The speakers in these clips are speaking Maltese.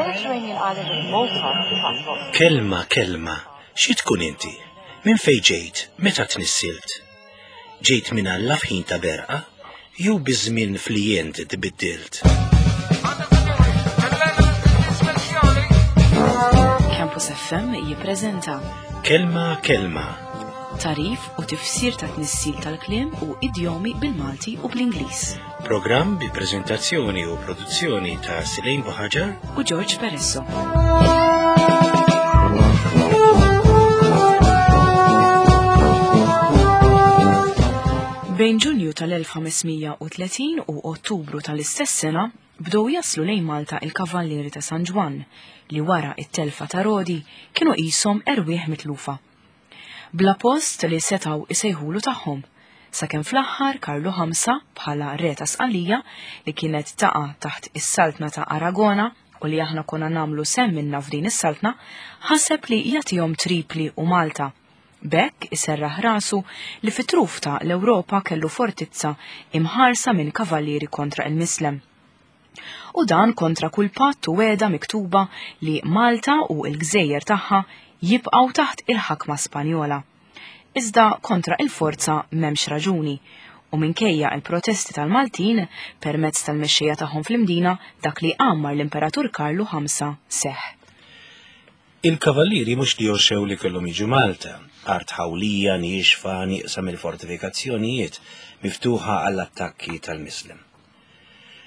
Mediterranean island of Malta transports Kelma, kelma, xi tkun inti? Minn fejn ġejt? Meta tnissilt? Ġejt minn Alla f'ħin ta' berqa? Jew biż-żmien fli int tbiddilt? Campus FM jippreżenta Kelma, kelma, tarif u tifsir ta' tnissil tal-kliem u idjomi bil-Malti u bl-Ingliż. Programm bi preżentazzjoni u produzzjoni ta' Silejn Buħaġar U George Peresso. Bejn Ġunju tal-1530 u Ottubru tal-istess sena bdew jaslu lejn Malta il-Kavallieri ta' San Ġwann li wara it-telfa ta' Rodi kienu qishom erwieħ mitlufa. Bla post li setgħu isejħulu tagħhom, sakemm fl-aħħar Karlu Ħamsa bħala re ta' Sqallija li kienet taqa' taħt is-saltna ta' Aragona u li aħna konna nagħmlu sehem minnha f'din is-saltna, ħaseb li jagħtihom Tripli u Malta. B'hekk iserraħ rasu li fit-truf ta' l-Ewropa kellu fortizza imħarsa minn kavallieri kontra il-Mislem. U dan kontra kull patt u wegħda miktuba li Malta u l-gżejjer tagħha jibqgħu taħt il-ħakma Spanjola. Iżda kontra il-forza m'hemmx raġuni u minkejja il-protesti tal-Maltin permezz tal-mexxejja tagħhom fl-Imdina dak li għammar l-Imperatur Karlu Ħamsa seħħ. Il-kavallieri mhux li għoxew li kellhom jiġu Malta, art ħawlija, niexfa, nieqsa mill-fortifikazzjonijiet, miftuħa għall-attakki tal-Mislem.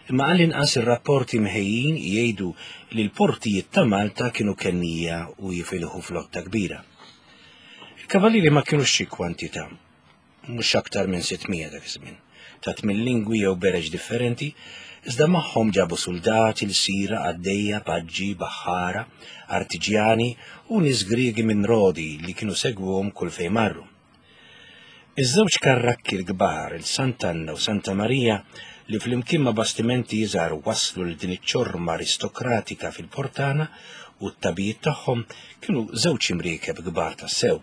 Imma għall-inqas ir-rapporti mħejjin jgħidu li l-portijiet ta' Malta kienu kennija u jifilħu flotta kbira. Il-kavallieri ma kienux xi kwantità, mhux aktar minn 600 dak iż-żmien, ta' tmien lingwi jew bereġ differenti, iżda magħhom ġabu suldati, lsira, qaddejja, paġġi, baħħara, artiġjani u nies Griegi minn Rodi li kienu segwuhom kull fejn marru. Iż-żewġ karrakki l-kbar, il-Sant'Anna u Santa Marija, li flimkien ma' bastimenti iżgħar wasslu lil din iċ-ċorma aristokratika fil-Portana u t-tabijiet tagħhom kienu żewġ imriekeb kbar tassew.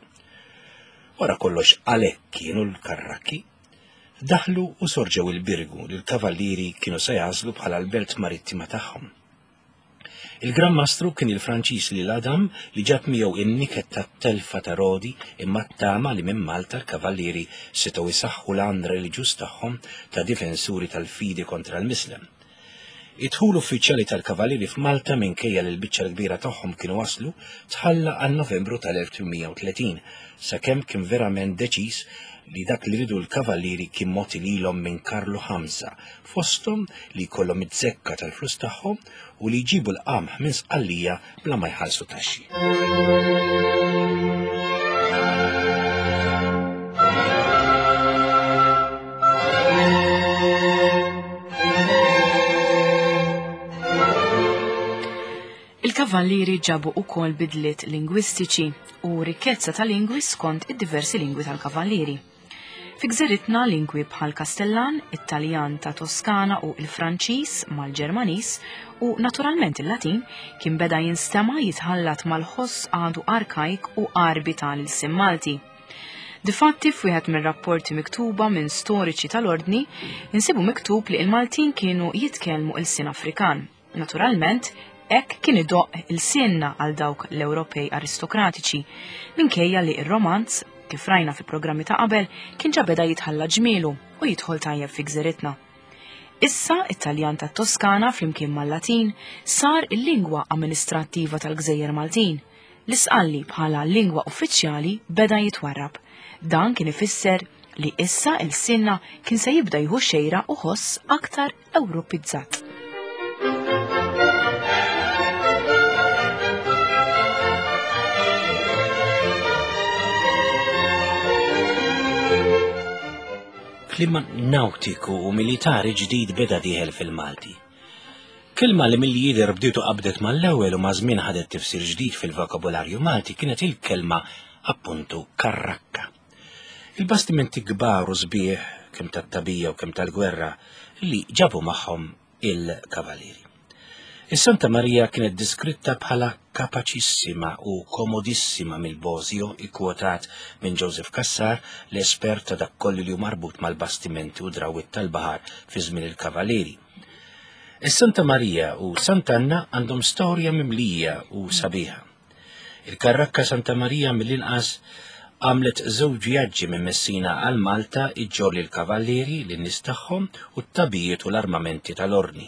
Wara kollox għalhekk kienu l-karrakki. Daħlu u sorġew il-Birgu li l-kavallieri kienu se jagħżlu bħala l-belt marittima tagħhom. Il-Gran Mastru kien il-Franċiż Lil Adam li ġab miegħu in-niket tat-telfa ta' Rodi imma t-tama li minn Malta l-Kavallieri setgħu jsaħħu l-għan reliġjuż tagħhom ta' difensuri tal-fidi kontra l-Mislem. Id-dħul uffiċjali tal-Kavallieri f'Malta minkejja li l-biċċa l-kbira tagħhom kienu waslu tħalla għal Novembru tal-1830 sakemm kien verament deċiż li dak li riedu l-Kavallieri kien mogħti lilhom minn Karlu Ħamsa fosthom li jkollhom iz-zekka tal-flus tagħhom u li jġibu l-qamħ minn Sqallija bla ma jħallsu taxxi. Il-kavallieri ġabu ukoll bidliet lingwistiċi u rikkezza ta' lingwi skont id-diversi lingwi tal-kavallieri. Fi gżiritna lingwi bħal Kastellan, it-Taljan ta' Toskana u l-Franċiż mal-Ġermaniż u naturalment il-Latin kien beda jinstema' jitħallat mal-ħoss għadu arkajk u Għarbi ta' l-ilsien Malti. Difatti f'wieħed mir-rapporti miktuba minn storiċi tal-Ordni insibu miktub li l-Maltin kienu jitkellmu ilsien Afrikan. Naturalment, hekk kien idoqq ilsienna għal dawk l-Ewropej aristokratiċi, minkejja li r-Romanz, kif rajna fi programmi ta' qabel, kien ġa beda jitħalla ġmielu u jidħol tajjeb fi gżiritna. Issa it-Taljan tat-Toskana flimkien mal-Latin sar il-lingwa amministrattiva tal-Gżejjer Maltin. L-Isqalli bħala lingwa uffiċjali beda jitwarrab. Dan kien ifisser li issa ilsienna kien se jibda jieħu xejra u ħoss aktar Ewropizzat. Klima nautiku u militari ġdid beda dieħel fil-Malti. Kelma li milli jidher bdietu qabdet mal-ewwel u maż-żmien ħadet tifsir ġdid fil-vokabularju Malti kienet il-kelma appuntu karrakka. Il-bastimenti kbar u sbieħ, kemm tat-tagħbija u kemm tal-gwerra, li ġabu magħhom il-kavalieri. Is-Santa Marija kienet diskritta bħala kapaċissima u komodissima mill-Bosio ikkwotat minn Joseph Cassar, l-espert ta' dak kollu li hu marbut mal-bastimenti u drawwiet tal-baħar fi żmien il-Kavalieri. Is-Santa Marija u Sant'Anna għandhom storja mimlija u sabiħa. Il-karrakka Santa Marija mill-inqas għamlet żewġ vjaġġi minn Messina għal Malta iġġorr lill-kavallieri, lin-nies tagħhom u t-tagħbijiet u l-armamenti tal-Ordni.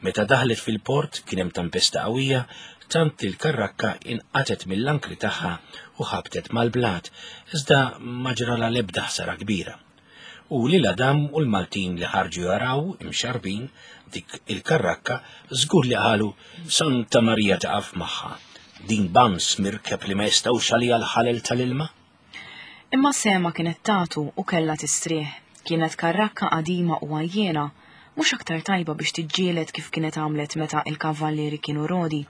Meta daħlet fil-port kien hemm tempesta qawwija tant li l-karrakka inqatgħet mill-ankri tagħha u ħabtet mal-blat, iżda ma ġralha l-ebda ħsara kbira. U lil Adam u l-Maltin li ħarġu jaraw imxarrbin dik il-karrakka żgur li qalu Santa Marija taqaf magħha. Din bams mirkeb li ma jistgħux għaliha l-ħalel tal-ilma. Imma sehemha kienet tagħtu u kellha tistrieħ. Kienet karrakka qadima u għajjiena, mhux aktar tajba biex tiġġieled kif kienet għamlet meta il-kavallieri kienu rodi.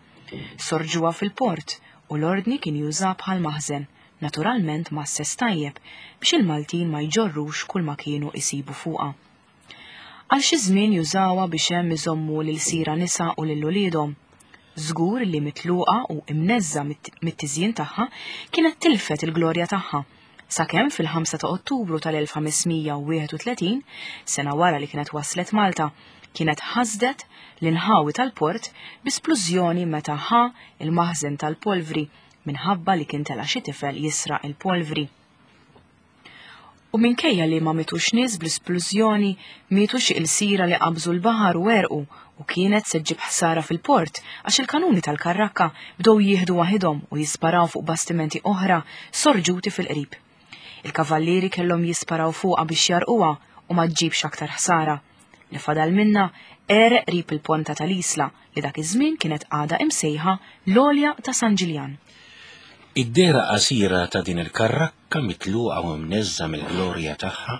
Sorġuha fil-port u l-Ordni kien jużha bħal maħżen, naturalment mgħasses tajjeb biex il-Maltin ma jġorrux kull ma kienu isibu fuqha. Għal xi żmien jużawha biex hemm iżommu l-ilsira nisa u lil uliedhom. Żgur li mitluqa u imneżża mit-tiżjin tagħha kienet tilfet il-glorja tagħha, sakemm fil-5 ta' Ottubru tal-1531, sena wara li kienet waslet Malta, kienet ħasdet l-inħawi tal-port bi splużjoni meta ħa il-maħżen tal-polvri minħabba li kien tela' xi tifel jisraq il-polvri. U minkejja li ma mitux nies bl-isplużjoni, mietu xi ilsira li qabżu l-baħar u għerqu u kienet se ġġib ħsara fil-port għax il-kanuni tal-karrakka bdew jieħdu waħidhom u jisparaw fuq bastimenti oħra sorġuti fil-qrib. Il-kavallieri kellhom jisparaw fuqha biex jarquha u ma ġġibx aktar ħsara. Li fadal minna għereq qrib il-ponta tal-Isla li dak iż-żmien kienet għadha imsejħa l-Għolja ta' San Ġiljan. Id-dehra qasira ta' din il-karrakka mitluqa u mneżża' mill-glorja tagħha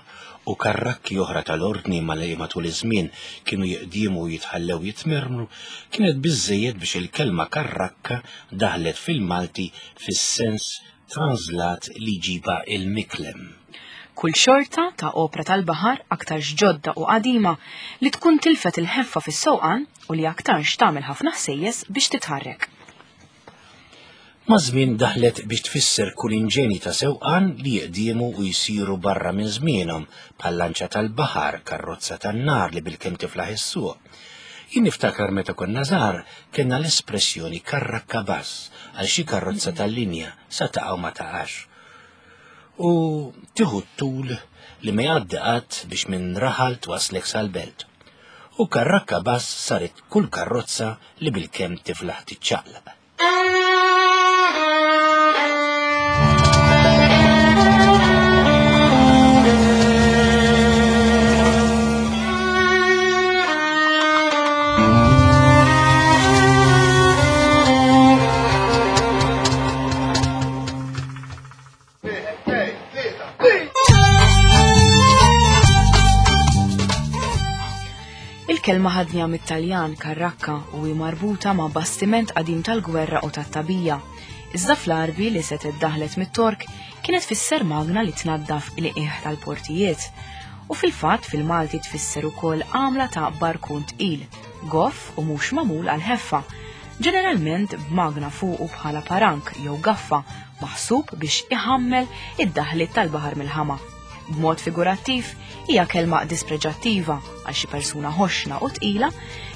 u karrakki oħra tal-Ordni ma li matul iż-żmien kienu jiqdiemu u jitħallew jitmermru kienet biżżejjed biex il-kelma karrakka daħlet fil-Malti fis-sens translat li jġibha il-miklem. Kull xorta ta' opra tal-baħar, aktarx ġodda u qadima, li tkun tilfet il-ħeffa fis-sewqan u li aktarx tagħmel ħafna ħsejjes biex titħarrek. Maż-żmien daħlet biex tfisser kull inġenji ta' sewqan li jiqdiemu u jsiru barra minn żmienhom, bħal lanċa tal-baħar, karrozza tan-nar li bilkemm tiflaħ issuq. Jien niftakar meta konna żgħar kellna l-espressjoni karrakka bass għal xi karrozza tal-linja sa taqa' u ma taqax. U tieħu t-tul li ma jgħaddi qatt biex minn raħal twaslek sal-belt. U karrakka bass saret kull karrozza li bilkemm tiflaħ tiċċaqlaq. Il-kelma ħadniha mit-Taljan karrakka u hi marbuta ma' bastiment qadim tal-gwerra u tat-tagħbija. Iżda fl-Għarbi li setgħet daħlet mit-Tork kienet tfisser magna li tnaddaf il-qiegħ tal-portijiet. U fil-fatt fil-Malti tfisser ukoll għamla ta' barkun tqil, goff u mhux magħmul għall-ħeffa, ġeneralment b'magna fuqu bħala parank jew gaffa maħsub biex iħammel id-daħliet tal-baħar mill-ħama. B'mod figurattiv, hija kelma dispreġattiva għal xi persuna ħoxna u tqila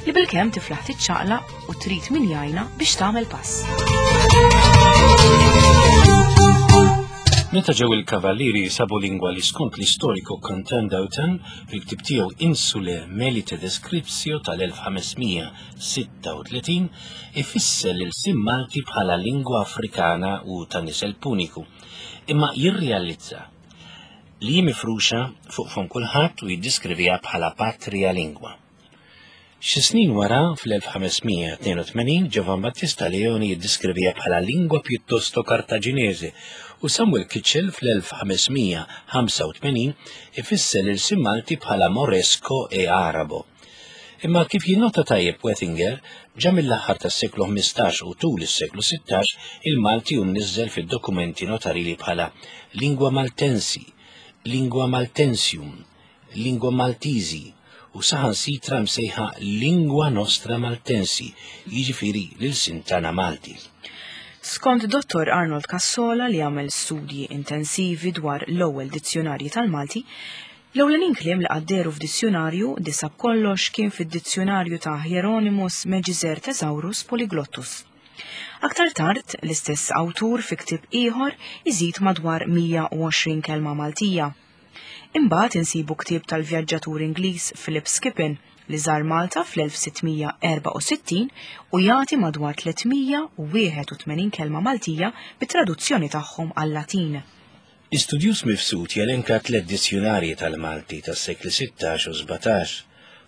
li bilkemm tiflaħ tiċċaqlaq u trid min jgħinha biex tagħmel pass. Meta ġew il-Kavallieri sabu lingwa li skont l-istoriku Quentin Dautin fil-ktieb tiegħu Insulae Melite Descriptio tal-1536 ifisser l-ilsien Malti bħala lingwa Afrikana u ta' nisel Puniku, imma jirrealizza li hi mifruxa fuq fomm kulħadd u jiddiskriviha bħala patria lingua. Xi snin wara, fl-1582, Giovan Battista Leoni jiddiskriviha bħala lingua piuttosto cartaginese u Samuel Kitchell fl-1585 ifisser l-ilsien Malti bħala Moresco e Arabo. Imma kif jinnota tajjeb Wettinger, ġa mill-aħħar tas-seklu 15 u tul is-seklu 16 il-Malti hu mniżżel fid-dokumenti notarili bħala lingua maltensi, lingua maltensium, lingua maltisi u saħansitra msejħa lingua nostra maltensi, jiġifieri l-ilsien tagħna Malti. Skont Dottor Arnold Cassola li għamel studji intensivi dwar l-ewwel dizzjunarji tal-Malti, L-ewlenin kliem li qatt dehru f'dizzjunarju, disa' b'kollox, kien fid-dizzjunarju ta' Hieronymus Magizer Thesaurus Polyglottus. Aktar tard, l-istess awtur fi ktieb ieħor iżid madwar 120 kelma Maltija. Imbagħad insibu ktieb tal-vjaġġatur Ingliż Philip Skippon li żar Malta fl-1664 u jagħti madwar 381 kelma Maltija bit-traduzzjoni tagħhom għal-Latin. L-istudjuż Mifsud jelenka tliet dizzjunarji tal-Malti tas-sekli 16 u 17,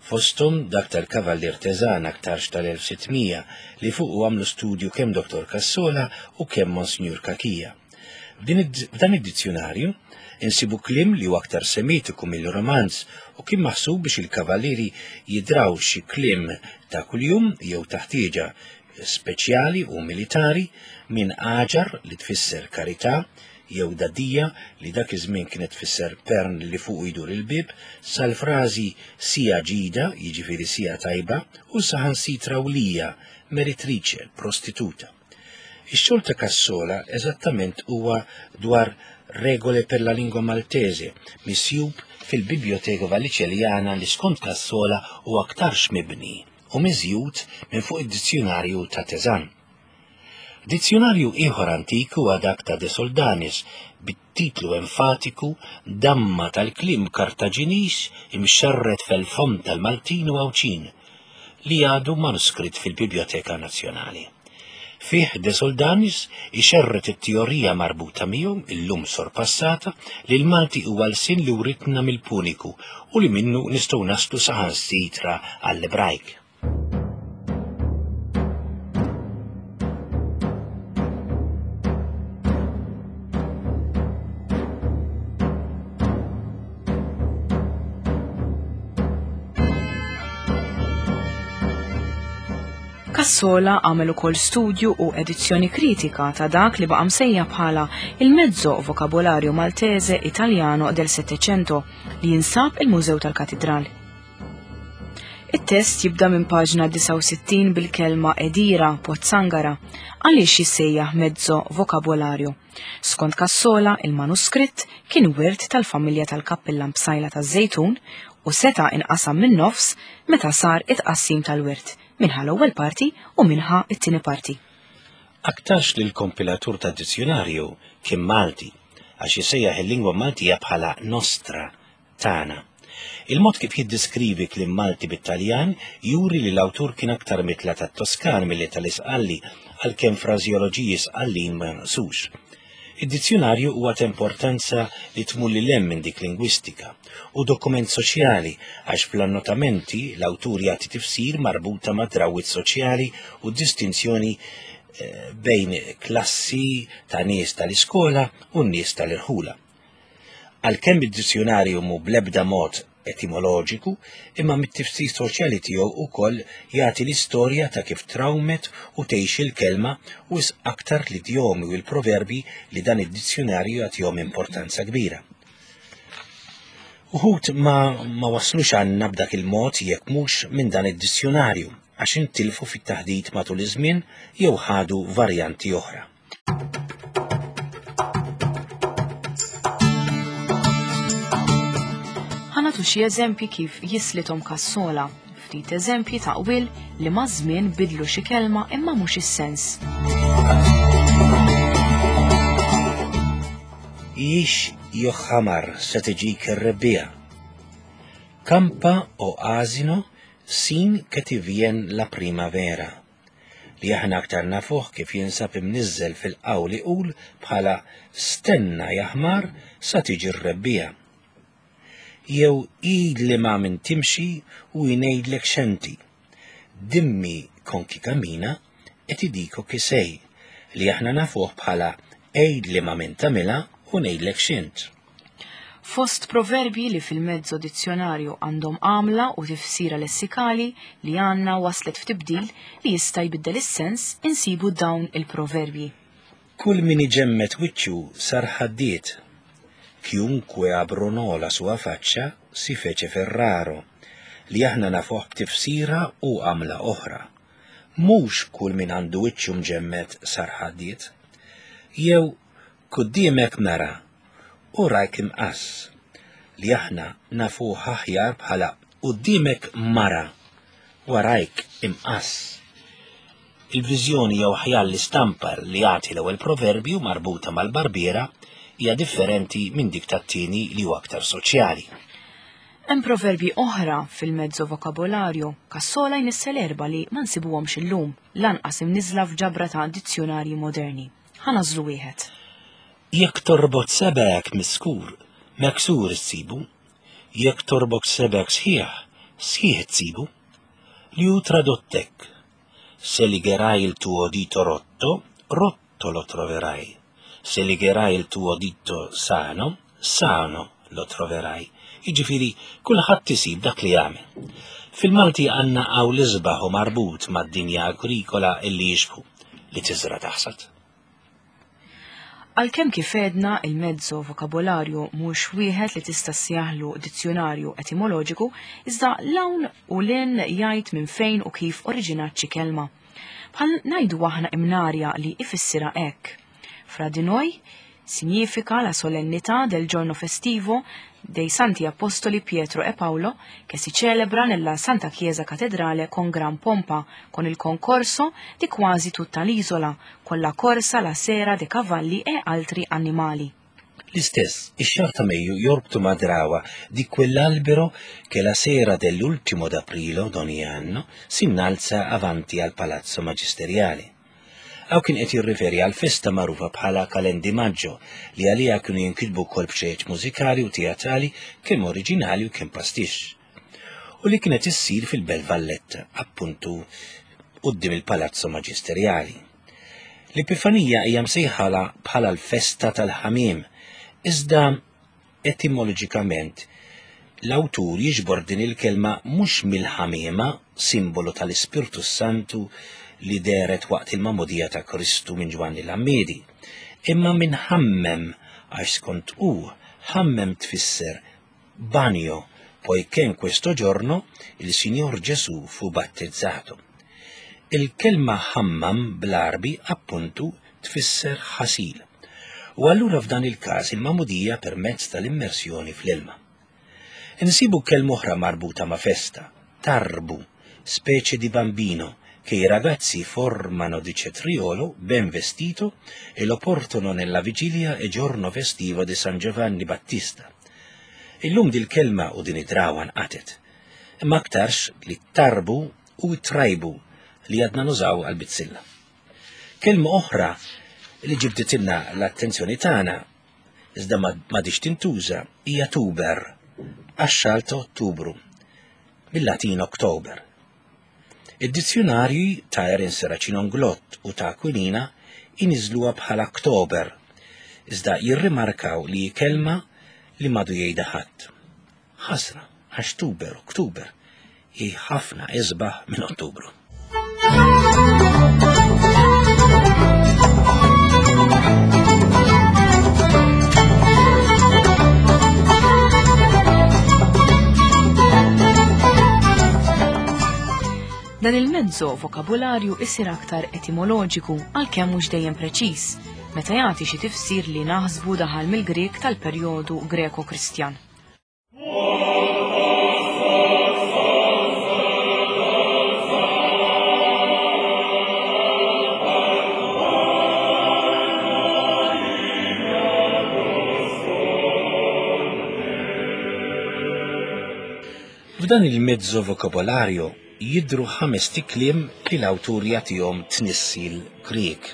fosthom dak tal-Kavallier Teżan aktarx tal-1600 li fuqu għamlu studju kemm Dottor Cassola u kemm Monsinjur Cachia. F'dan id-dizzjunarju insibu kliem li huwa aktar semitiku milli romanz u kien maħsub biex il-kavallieri jidraw xi kliem ta' kuljum jew ta' ħtieġa speċjali u militari minn għaġar li tfisser karità jew dadija li dak iż-żmien kienet tfisser pern li fuqu jdur il-bieb, sal-frażi sija ġida, jiġifieri sija tajba, u saħansitra wlija, meretrice, prostituta. Ix-xogħol ta' Cassola eżattament huwa dwar Regole per la lingua maltese, misjub fil-Biblioteca Vallicelliana li skont Cassola huwa aktarx mibni u miżjud minn fuq id-dizzjunarju ta' Tezan. Dizzjunarju ieħor antik huwa dak ta' De Soldanis bit-titlu enfatiku Damma tal-kliem Kartaġiniż imxerred fel-fomm tal-Maltin u Għawdxin, li għadu manuskritt fil-Bibljoteka Nazzjonali. Fih De Soldanis ixerred it-teorija marbuta miegħu, illum sorpassata, li l-Malti huwa lsien li writna mill-Puniku u li minnu nistgħu naslu saħansitra għall-Ebrajk. Cassola għamel ukoll studju u edizzjoni kritika ta' dak li baqa' msejjaħ bħala il-Mezzo Vocabolario Maltese Italiano del Settecento li jinsab il-Mużew tal-Katidral. It-test jibda minn paġna 69 bil-kelma edira, pozzangara, għaliex jissejjaħ mezzo vokabolarju. Skont Cassola, il-manuskritt kien wirt tal-familja tal-kappillan Psaila taż-Żejtun u seta' inqasam min-nofs meta sar it-tqassim tal-wirt, min ħa l-ewwel parti u min ħa t-tieni parti. Aktarx li l-kompilatur tad-dizzjunarju kien Malti, għax isejjaħ il-lingwa Maltija bħala nostra, tagħna. Il-mod kif jiddiskrivi kliem Malti bit-Taljan juri li l-awtur kien aktar mitla tat-Toskan milli tal-Isqalli għalkemm frażeoloġiji Sqallin ma jonqsux. Id-dizzjunarju huwa ta' importanza li tmur lil hemm minn dik lingwistika u dokument soċjali għax fl-annotamenti l-awtur jagħti tifsir marbuta ma' drawwiet soċjali u distinzjoni eh, bejn klassi ta' nies tal-iskola u n-nies tal-irħula. Għalkemm id-dizzjunarju mhu bl-ebda mod etimoloġiku, imma mit-tifsir soċjali tiegħu wkoll jagħti l-istorja ta' kif trawmet u tgħix il-kelma u wisq aktar l-idjomi u l-proverbji li dan id-dizzjunarju jagħtihom importanza kbira. Uħud ma, ma waslux għandna b'dak il-mod jekk mhux minn dan id-dizzjunarju għax intilfu fit-taħdit matul iż-żmien jew ħadu varjanti oħra. Ħanatu xi eżempji kif jislithom kassola, ftit eżempji ta' qwil li maż-żmien bidlu xi kelma imma mhux is-sens. Ix joħamar se tiġik ir-rebbiegħa. Campa o asino sin che ti vien la primavera. li aħna aktar nafuh kif jinsab imniżżel fil-qawl iqul bħala stenna jaħmar sa tiġi r-rebbiegħa. Jew għidli ma' min timxi u jngħidlek x'enti. Dimmi con chi cammina e ti dico chi sei, li aħna nafuh bħala għidli ma' min tagħmilha u ngħidlek x'int. Fost proverbji li fil-mezzo dizzjonarju għandhom għamla u tifsira lessikali li għandna waslet f'tibdil li jista' jbiddel is-sens insibu dawn il-proverbji. Kull min iġemmed wiċċu sar ħaddied. Chiunque abbronò la sua faccia si fece ferraro, li aħna nafuh b'tifsira u għamla oħra. Mhux kull min għandu wiċċu mġemmed sar ħaddied. Jew Quddiemek mera u rajk imqass. li aħna nafuh aħjar bħala quddiemek mara, warajk imqass. Il-viżjoni jew aħjar l-istampa li jagħti l-ewwel proverbju marbuta mal-barbiera hija differenti minn dik tat-tieni li huwa aktar soċjali. Hemm proverbji oħra fil-mezzo vokabolarju, kassola jnissel erba' li ma nsibuhomx illum, lanqas imniżżla f'ġabra ta' dizzjunarji moderni. Ħa nagħżlu wieħed. Jekk torbot sebgħek miskur, meksur issibu, jekk torbok sebgħek sħiħ, sħiħ itsibu. Li hu tradott hekk, Se ligherai il tuo dito rotto, rotto lo troverai. Se ligherai il tuo dito sano, sano lo troverai. Jiġifieri kulħadd isib dak li jagħmel. Fil-Malti għandna hawn l-isbaħ u marbut mad-dinja agrikola illi jixbħu li tiżra' taħsad. Għalkemm kif għedna il-mezzo vokabolarju mhux wieħed li tista' ssejjaħlu dizzjunarju etimoloġiku, iżda l-hawn u l-in jgħid minn fejn u kif oriġinat xi kelma. Bħal ngħidu aħna imnarja li ifissirha hekk. Fra di noi significa la solennità del giorno festivo dei Santi Apostoli Pietro e Paolo che si celebra nella Santa Chiesa Cattedrale con gran pompa, con il concorso di quasi tutta l'isola, con la corsa la sera dei cavalli e altri animali. L-istess, ix-xahar ta' Mejju jorbtu ma' drawa di quell'albero che la sera dell'ultimo d'aprile d'ogni anno si innalza avanti al Palazzo Magisteriale. Hawn kien qed jirriferi għal festa magħrufa bħala Calendi Maggio li għaliha kienu jinkitbu wkoll bċejjeċ mużikali u teatrali kemm oriġinali u kemm pastixx. U li kienet issir fil-Belt Valletta, appuntu quddiem il-Palazzo Maġisterjali. L-Epifanija hija msejħala bħala l-festa tal-ħamiem, iżda Etimoloġikament, l-awtur jiġbor din il-kelma mhux mill-ħamiema, simbolu tal-Ispirtu s-Santu li dehret waqt il-magħmudija ta' Kristu minn Ġwanni l-Għammiedi, imma minn ħammem għax skont hu, ħammem tfisser bagno, poiché in questo giorno il Signor Gesù fu battezzato. Il-kelma ħammam bl-Għarbi appuntu tfisser ħasil. U allura f'dan il-każ il-magħmudija permezz tal-immersjoni fl-ilma. Insibu kelma oħra marbuta ma' festa, tarbu, specie di bambino che i ragazzi formano di cetriolo ben vestito e lo portano nella vigilia e giorno festivo di San Giovanni Battista. Illum dil-kelma u din id-drawa nqatet. Imma aktarx li tarbu u trajbu li għadna nużaw għal-bizzilla. Kelma oħra li ġibditilna l-attenzjoni tagħna iżda m'għadhiex tintuża hija tuber, għax-xahar ta' Ottubru, bil-Latin October. Id-dizzjunarji ta' Erin Serracino Inglott u ta' Aquilina iniżluha bħala Ktober, iżda jirrimarkaw li hi kelma li m'għadu jgħidha ħadd. Ħasra, għax tuber u ktuber hi ħafna isbaħ minn Ottubru. Dan il-mezzo vokabularju isir aktar etimoloġiku għalkemm mhux dejjem preċiż, meta jagħti xi tifsir li naħsbu daħal mill-Grieg tal-perjodu Greko-Kristjan. F'dan il-mezzo vokabolarju jidhru ħamest ikliem li l-awtur jagħtihom tnissil Grieg.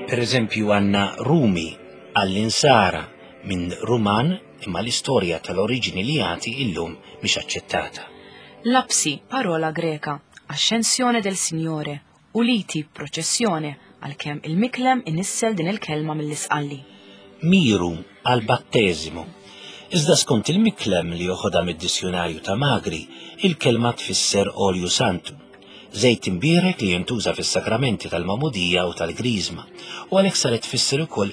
Per eżempju għandna Rumi għall-insara minn Ruman imma l-istorja tal-oriġini li jagħti illum mhix aċċettata. Lapsi, parola Greka, ascensione del Signore, u liti, proċessjone, għalkemm il-Miklem inissel din il-kelma mill-Isqalli. Miru għall-batteżimu. Iżda skont il-Miklem li joħodha mid-dizzjunarju ta' Magri, il-kelma tfisser olju santu, żejt imbierek li jintuża fis-sagramenti tal-magħmudija u tal-griżma, u għalhekk saret tfisser ukoll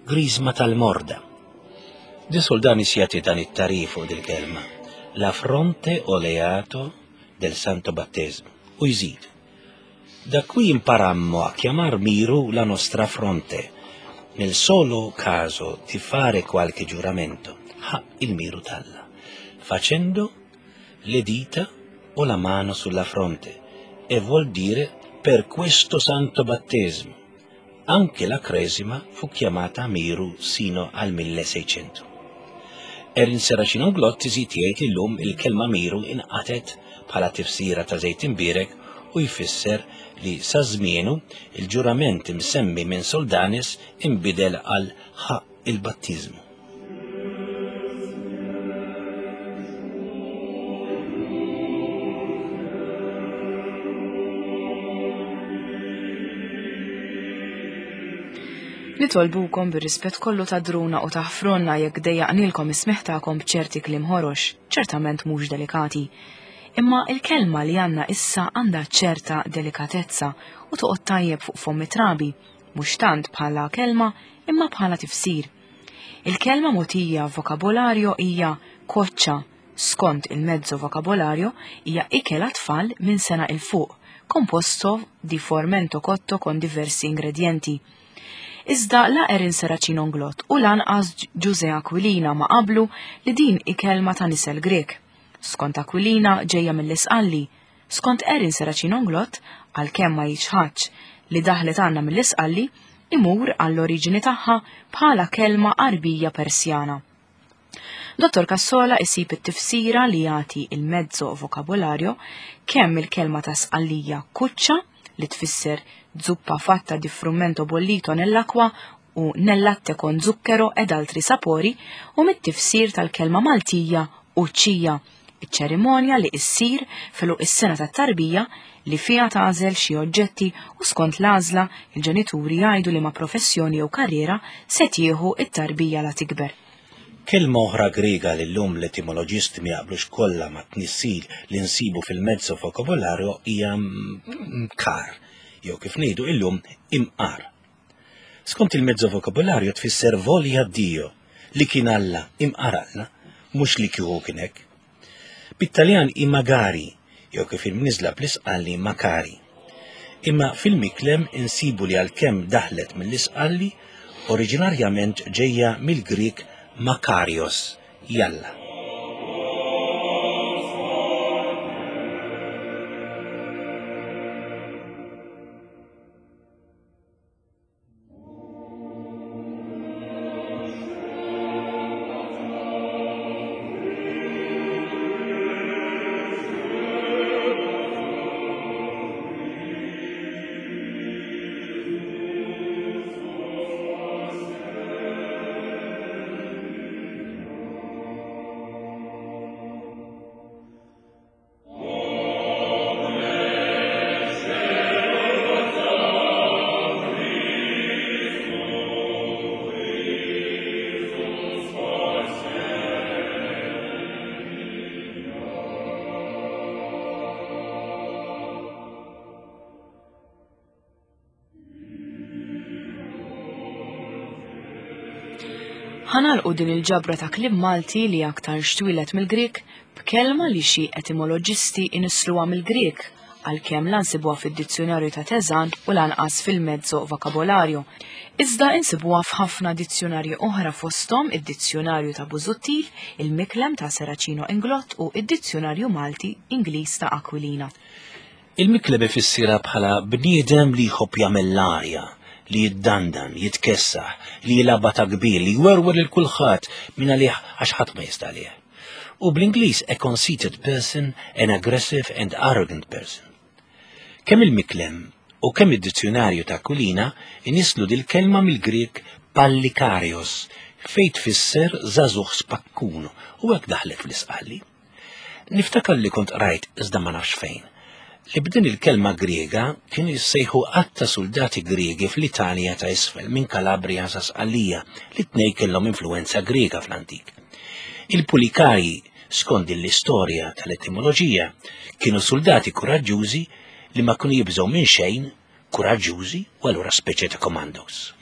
griżma tal-morda. Di Soldanis jagħti dan it-tagħrif fuq dil-kelma, la fronte oleato del santo battesimo, u jżid. Da qui imparammo a chiamar Miru la nostra fronte, nel solo caso di fare qualche giuramento, ha il Miru talla, facendo le dita o la mano sulla fronte, e vuol dire per questo santo battesimo. Anche la cresima fu chiamata Miru sino al 1600. Erin Serracino Inglott iżid jgħid li llum il-kelma miru inqatgħet bħala tifsira ta' żejt imbierek u jfisser li sa żmienu il-ġurament imsemmi minn Soldanis inbidel għal ħaqq il-battiżmu. Nitolbukom bir-rispett kollu tagħdruna u taħfrulna jekk dejjaqnilkom is-smigħ tagħkom b'ċerti kliem ħorox, ċertament mhux delikati. Imma il-kelma li għandna issa għandha ċerta delikatezza u toqgħod tajjeb fuq fomm it-trabi, mhux tant bħala kelma imma bħala tifsir. Il-kelma mogħtija f'vokabolario hija koċċa, skont il-mezzo vocabolario hija ikel għat-tfal minn sena 'il fuq, composto di formento cotto con diversi ingredienti. Iżda la Erin Serracino Inglott u lanqas Ġużè Aquilina ma qablu li din hi kelma ta' nisel Grieg. Skont Aquilina ġejja mill-Isqalli. Skont Erin Serracino Inglott, għalkemm ma jiċħadx li daħlet għandna mill-Isqalli, imur għall-oriġini tagħha bħala kelma Għarbija Persjana. Dottor Cassola isib it-tifsira li jagħti il-mezzo vocabolario kemm il-kelma ta' Sqallija kuċċa li tfisser zuppa fatta di frumento bollito nell'acqua u nel latte con zucchero ed altri sapori u mit-tifsir tal-kelma Maltija uċċija iċ-ċerimonja li issir f'għeluq is-sena tat-tarbija li fiha tagħżel xi oġġetti u skont l-għażla il-ġenituri jgħidu liema professjoni jew karriera se tieħu t-tarbija la tikber. Kelma oħra Griega li llum l-etimoloġisti ma jaqblux kollha mat-tnissil li nsibu fil-mezzo vocabolario hija mkar, jew kif ngħidu illum imqar. Skont il-mezzo vocabolario tfisser voglia Dio, li kien Alla, imqar Alla, mhux li kieku kien hekk. Bit-Taljan hi magari, jew kif imniżżla bl-Isqalli makari. Imma fil-Miklem insibu li għalkemm daħlet mill-Isqalli, oriġinarjament ġejja mill-Grieg makarios, jalla. Ħa nagħlqu din il-ġabra ta' kliem Malti li aktarx twieled mill-Grieg b'kelma li xi etimoloġisti inissluha mill-Grieg għalkemm la nsibuha fid-dizzjunarju ta' Tezan u lanqas fil-mezzo vocabolario. Iżda insibuha f'ħafna dizzjunarji oħra fosthom id-dizzjunarju ta' Busuttil, il-Miklem ta' Serracino Inglott u id-dizzjunarju Malti Ingliż ta' Aquilina. Il-Miklem ifissirha bħala bniedem li jħobb jagħmel l-arja, li jiddandan, jitkessaħ, li jilgħabha ta' kbir, li jwerwer lil kulħadd minn għalih għax ħadd ma jista' għalih. U bl-Ingliż a conceited person, an aggressive and arrogant person. Kemm il-Miklem u kemm id-dizzjunarju ta' Aquilina inisslu dil-kelma mill-Grieg pallikarios fejn tfisser żagħżugħ spakkun u hekk daħlet fl-Isqalli. Niftakar li kont qrajt, iżda ma nafx fejn, li b'din il-kelma Griega kienu jissejħu għadd ta' suldati Griegi fl-Italja ta' isfel minn Calabria sa Sqallija li t-tnejn kellhom influwenza Griega fl-antik. Il-Pulikarji, skont din l-istorja tal-etimoloġija, kienu suldati kuraġġużi li ma kienu jibżgħu minn xejn, kuraġġużi u allura speċi ta' commandos.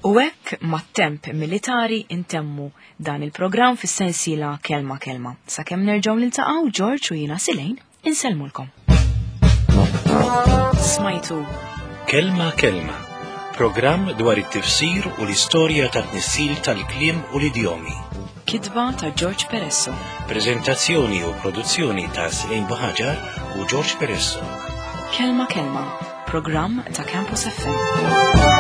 U hekk mat-temp militari intemmu dan il-programm fis-sensiela Kelma Kelma. Sakemm nerġgħu niltaqgħu George u jiena Silejn insellmulkom. Smajtu Kelma Kelma, programm dwar it-tifsir u l-istorja tat-tnissil tal-kliem u l-idjomi. Kitba ta' George Peresso. Prezentazzjoni u produzzjoni ta' Silejn Buħaġar u George Peresso. Kelma Kelma, programm ta' Campus FM.